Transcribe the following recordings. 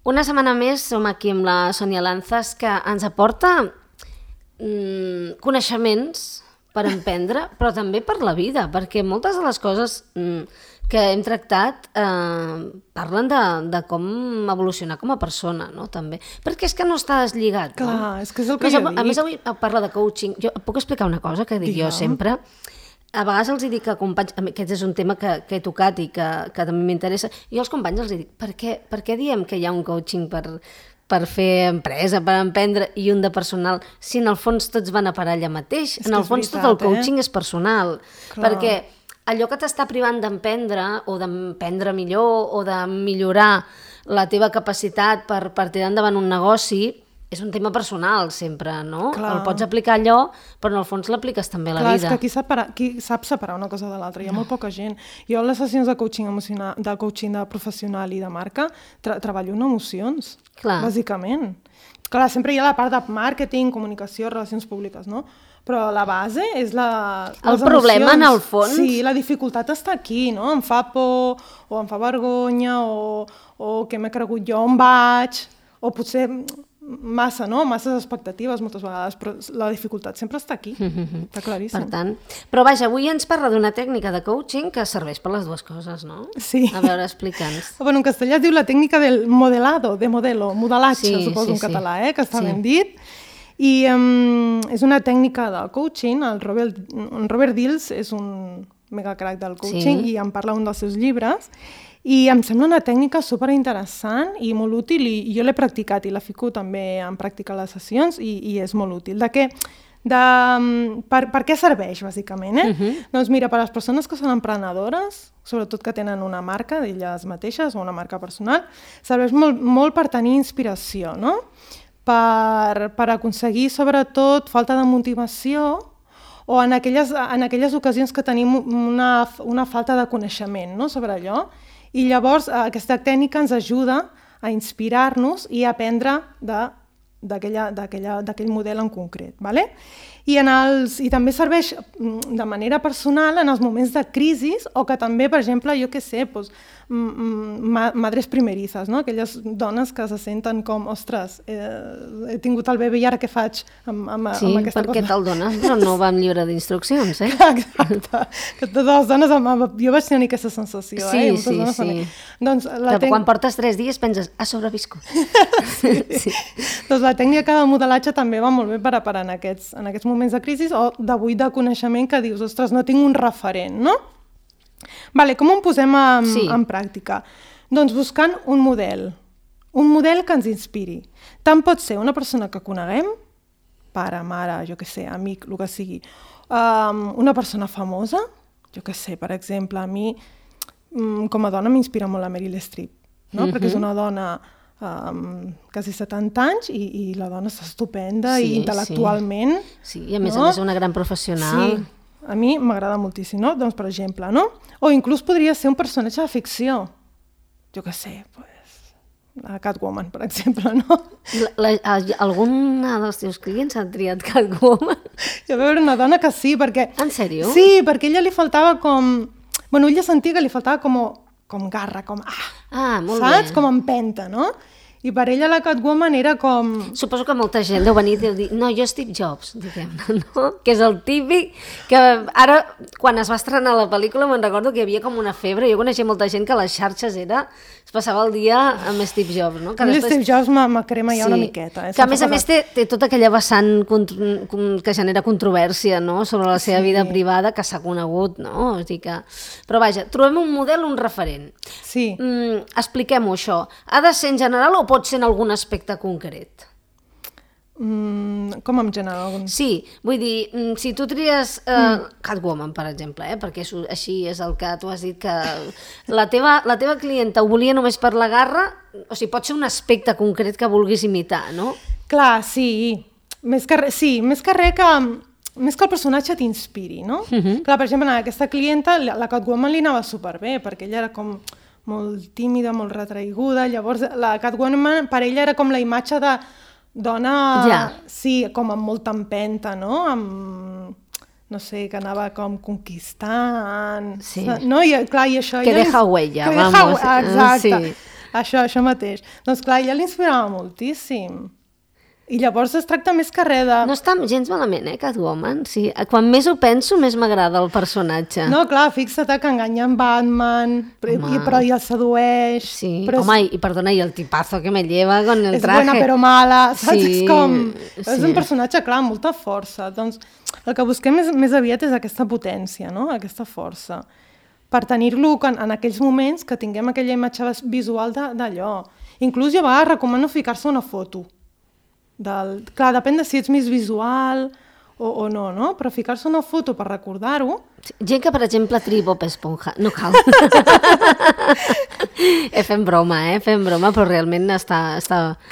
Una setmana més som aquí amb la Sònia Lanzas, que ens aporta coneixements per emprendre, però també per la vida, perquè moltes de les coses que hem tractat parlen de com evolucionar com a persona, no? També. Perquè és que no està deslligat. Clar, no? És que és el que jo dic. A més, avui parla de coaching. Jo puc explicar una cosa que dic jo sempre? A vegades els dic a companys, aquest és un tema que he tocat i que també m'interessa, jo als companys els dic, per què diem que hi ha un coaching per fer empresa, per emprendre, i un de personal, si en el fons tots van a parar allà mateix? En el fons tot el coaching és personal, perquè allò que t'està privant d'emprendre o d'emprendre millor o de millorar la teva capacitat per tirar endavant un negoci és un tema personal sempre, no? Clar. El pots aplicar allò, però en el fons l'apliques també a la vida. Clar, és que qui sap separar una cosa de l'altra? Hi ha molt poca gent. Jo en les sessions de coaching emocional, de coaching de professional i de marca treballo en emocions, bàsicament. Clar, sempre hi ha la part de màrqueting, comunicació, relacions públiques, no? Però la base és el problema, en el fons. Sí, la dificultat està aquí, no? Em fa por, o em fa vergonya, o què m'he cregut jo, on vaig, o potser masses expectatives moltes vegades, però la dificultat sempre està aquí, està claríssim. Per tant, però vaja, avui ens parla d'una tècnica de coaching que serveix per les dues coses, no? Sí. A veure, explica'ns. Bueno, en castellà es diu la tècnica del modelado, de modelo, modelatge, suposo en català, que està ben dit. I és una tècnica de coaching, el Robert Dills és un mega crack del coaching i en parla un dels seus llibres, i em sembla una tècnica superinteressant i molt útil, i jo l'he practicat i la fico també en pràctica a les sessions i és molt útil. Per què serveix, bàsicament? Doncs mira, per a les persones que són emprenedores, sobretot que tenen una marca d'elles mateixes o una marca personal, serveix molt per tenir inspiració, no? Per aconseguir, sobretot, falta de motivació o en aquelles ocasions que tenim una falta de coneixement, no?, sobre allò. I llavors aquesta tècnica ens ajuda a inspirar-nos i a aprendre d'aquell model en concret. ¿Vale? I també serveix de manera personal en els moments de crisi o que també, per exemple, jo què sé, madres primerizas, no? Aquelles dones que se senten com, ostres, he tingut el bebè i ara què faig amb aquesta cosa? Sí, perquè te'l dones, però no va amb llibre d'instruccions, eh? Exacte. Que totes les dones, jo vaig tenir aquesta sensació, Sí. Doncs quan portes 3 dies penses, ha sobreviscut. Sí. Doncs la tècnica de modelatge també va molt bé per en aquests moments de crisi o de buit de coneixement que dius, ostres, no tinc un referent, no? Vale, com ho posem en pràctica? Doncs buscant un model que ens inspiri. Tant pot ser una persona que coneguem, pare, mare, jo què sé, amic, el que sigui, una persona famosa, jo què sé, per exemple, a mi com a dona m'inspira molt la Meryl Streep, no? Perquè és una dona quasi 70 anys i la dona està estupenda i intel·lectualment. Sí, i a més és una gran professional. Sí. A mi m'agrada moltíssim, no? Doncs, per exemple, no? O inclús podria ser un personatge de ficció. Jo què sé, la Catwoman, per exemple, no? Alguna dels teus clients ha triat Catwoman? Hi va haver una dona que sí, perquè... En sèrio? Sí, perquè ella li faltava com... Bueno, ella sentia que li faltava com garra, com... molt saps? bé. Com empenta, no? I per ella la Catwoman era com... Suposo que molta gent deu venir i deu dir no, jo Steve Jobs, diguem-ne, no? Que és el típic que ara, quan es va estrenar la pel·lícula, me'n recordo que hi havia com una febre. Jo coneixia molta gent que a les xarxes es passava el dia amb Steve Jobs, no? Que després... Steve Jobs me crema ja una miqueta. Que a més té tota aquella vessant que genera controvèrsia, no? Sobre la seva vida privada que s'ha conegut, no? O sigui que... Però vaja, trobem un model, un referent. Sí. Expliquem-ho, això. Ha de ser en general o pot ser en algun aspecte concret? Com en general? Sí, vull dir, si tu tries Catwoman, per exemple, perquè així és el que tu has dit, que la teva clienta ho volia només per la garra, o sigui, pot ser un aspecte concret que vulguis imitar, no? Clar, sí. Més que res que el personatge t'inspiri, no? Clar, per exemple, a aquesta clienta, la Catwoman li anava superbé, perquè ella era com molt tímida, molt retraiguda, llavors la Catwoman per ella era com la imatge de dona, sí, com amb molta empenta, no? No sé, que anava com conquistant, no? I clar, i això... Que deja huella, vamos. Exacte. Això mateix. Doncs clar, ja l'inspirava moltíssim. I llavors es tracta més que res de... No està gens malament, Catwoman. Sí. Quan més ho penso, més m'agrada el personatge. No, clar, fixa't que enganya en Batman, però i el sedueix. Sí, però home, i perdona, i el tipazo que me lleva con el traje. És buena però mala, saps? Sí, És com... sí. És un personatge, clar, amb molta força. Doncs el que busquem més aviat és aquesta potència, no? Aquesta força. Per tenir-lo en aquells moments que tinguem aquella imatge visual d'allò. Inclús jo a vegades recomano ficar-se una foto. Clar, depèn de si ets més visual o no, no? Però ficar-se una foto per recordar-ho... Gent que, per exemple, triï Bob Esponja. No cal. Fem broma, però realment està...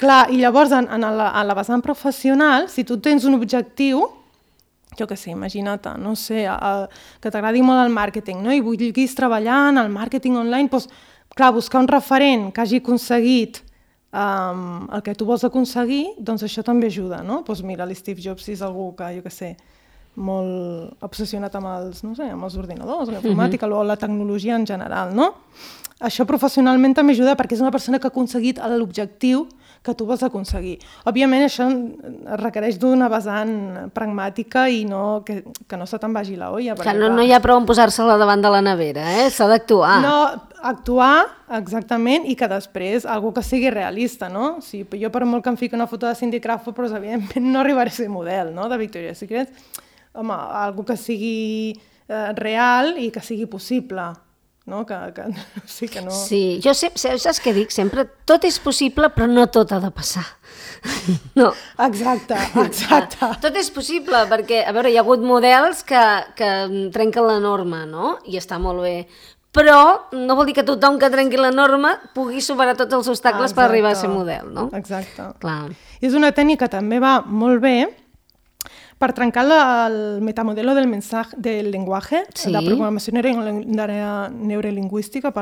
Clar, i llavors, en la vessant professional, si tu tens un objectiu, jo què sé, imagina't, no sé, que t'agradi molt el màrqueting, no? I vulguis treballar en el màrqueting online, doncs, clar, buscar un referent que hagi aconseguit el que tu vols aconseguir, doncs això també ajuda, no? Doncs mira, l'Steve Jobs és algú que, jo què sé, molt obsessionat amb els, no sé, amb els ordinadors, la informàtica o la tecnologia en general, no? Això professionalment també ajuda perquè és una persona que ha aconseguit l'objectiu que tu vols aconseguir. Òbviament això requereix d'una vessant pragmàtica i que no se te'n vagi la olla. Clar, no hi ha prou en posar-se-la davant de la nevera, s'ha d'actuar. No, actuar, exactament, i que després algú que sigui realista, no? Si jo per molt que em fiqui una foto de Cindy Crawford, però evidentment no arribaré a ser model, no?, de Victoria's Secret. Home, algú que sigui real i que sigui possible. No? Sí, que no... Sí, jo saps què dic sempre? Tot és possible, però no tot ha de passar. No. Exacte. Tot és possible, perquè, a veure, hi ha hagut models que trenquen la norma, no? I està molt bé. Però no vol dir que tothom que trenqui la norma pugui superar tots els obstacles per arribar a ser model, no? Exacte. Clar. És una tècnica que també va molt bé per trencar el metamodelo del lenguatge, de programació neurolingüística,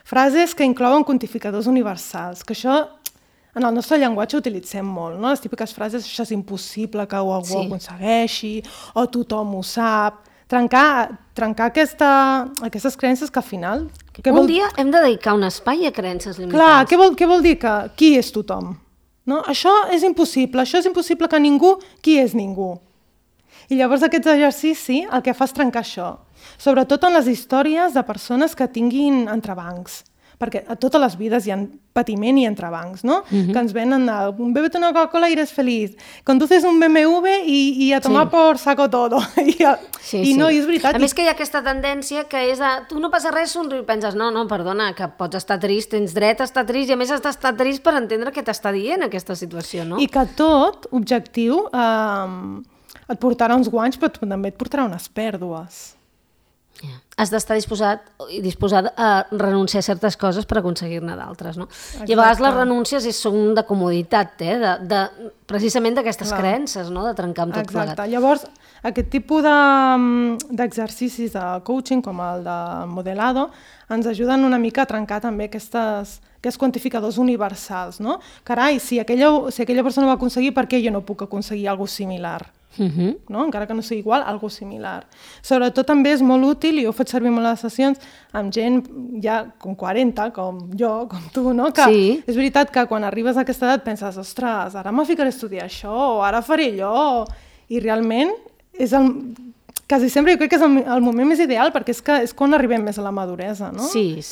frases que inclouen quantificadors universals, que això en el nostre llenguatge utilitzem molt, no? Les típiques frases, això és impossible que algú ho aconsegueixi, o tothom ho sap. Trencar aquestes creences que al final... dia hem de dedicar un espai a creences limitants. Clar, què vol dir que qui és tothom? No? Això és impossible que ningú, qui és ningú? I llavors aquest exercici el que fa és trencar això, sobretot en les històries de persones que tinguin entrebancs, perquè a totes les vides hi ha patiment i entrebancs, no? Que ens venen bébete una Coca-Cola y eres feliz, conduces un BMW y a tomar por saco todo. I no, i és veritat. A més que hi ha aquesta tendència que és tu no passa res, somriu, i penses, no, perdona, que pots estar trist, tens dret a estar trist, i a més has d'estar trist per entendre què t'està dient aquesta situació, no? I que tot objectiu et portarà uns guanys, però també et portarà unes pèrdues. Has d'estar disposat a renunciar a certes coses per aconseguir-ne d'altres, no? I a vegades les renúncies són de comoditat, precisament d'aquestes creences, no? De trencar amb tot plegat. Exacte. Llavors, aquest tipus d'exercicis de coaching, com el de modelado, ens ajuden una mica a trencar també aquests quantificadors universals, no? Carai, si aquella persona ho va aconseguir, per què jo no puc aconseguir alguna cosa similar? No? Encara que no sigui igual, algo similar. Sobretot també és molt útil, i ho he fet servir molt a les sessions, amb gent ja com 40, com jo, com tu, no? Que és veritat que quan arribes a aquesta edat penses, ostres, ara me ficaré a estudiar això, o ara faré allò, i realment quasi sempre jo crec que és el moment més ideal, perquè és quan arribem més a la maduresa, no? Sí,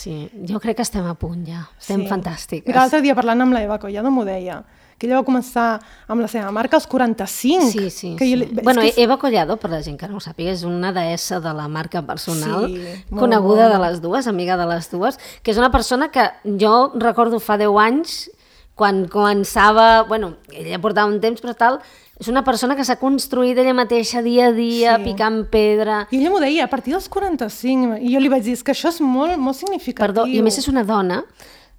jo crec que estem a punt ja, estem fantàstiques. Mira, l'altre dia parlant amb la Eva Collado m'ho deia, que ella va començar amb la seva marca als 45. Sí. Bueno, Eva Collado, per la gent que no ho sàpiga, és una deessa de la marca personal, coneguda de les dues, amiga de les dues, que és una persona que jo recordo fa 10 anys, quan començava, ella portava un temps, però tal, és una persona que s'ha construït ella mateixa dia a dia, picant pedra. I ella m'ho deia, a partir dels 45, i jo li vaig dir, és que això és molt, molt significatiu. Perdó, i a més és una dona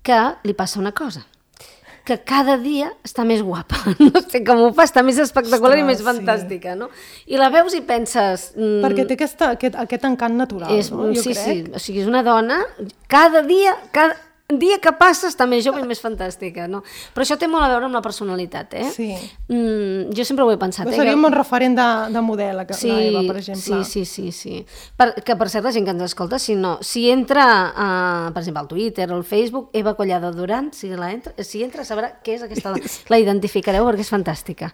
que li passa una cosa, que cada dia està més guapa. No sé com ho fa, està més espectacular i més fantàstica, no? I la veus i penses... Perquè té aquest encant natural, no? Jo crec. Sí. O sigui, és una dona, cada dia, dia que passa està més jove i més fantàstica, no? Però això té molt a veure amb la personalitat, Sí. Jo sempre ho he pensat. Seria un bon referent de model, la Eva, per exemple. Sí. Que per cert, la gent que ens escolta, si entra, per exemple, al Twitter o al Facebook, Eva Collado Duran, si entra sabrà què és aquesta... La identificareu perquè és fantàstica.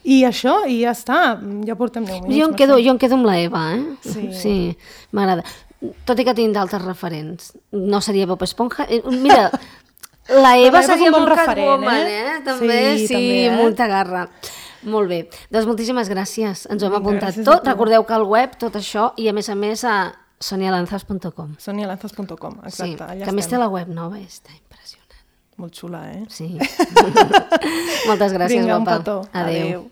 I això, i ja està, ja portem 10 minuts. Jo em quedo amb la Eva, Sí, m'agrada. Tot i que tinc d'altres referents. No seria Bob Esponja. Mira, la Eva seria molt Catwoman, També, sí, molta garra. Molt bé. Doncs moltíssimes gràcies. Ens ho hem apuntat tot. Recordeu que al web, tot això, i a més a sonialanzas.com. Sonialanzas.com, exacte. Sí, que a més té la web nova, està impressionant. Molt xula, Sí. Moltes gràcies, guapa. Vinga, un petó. Adéu.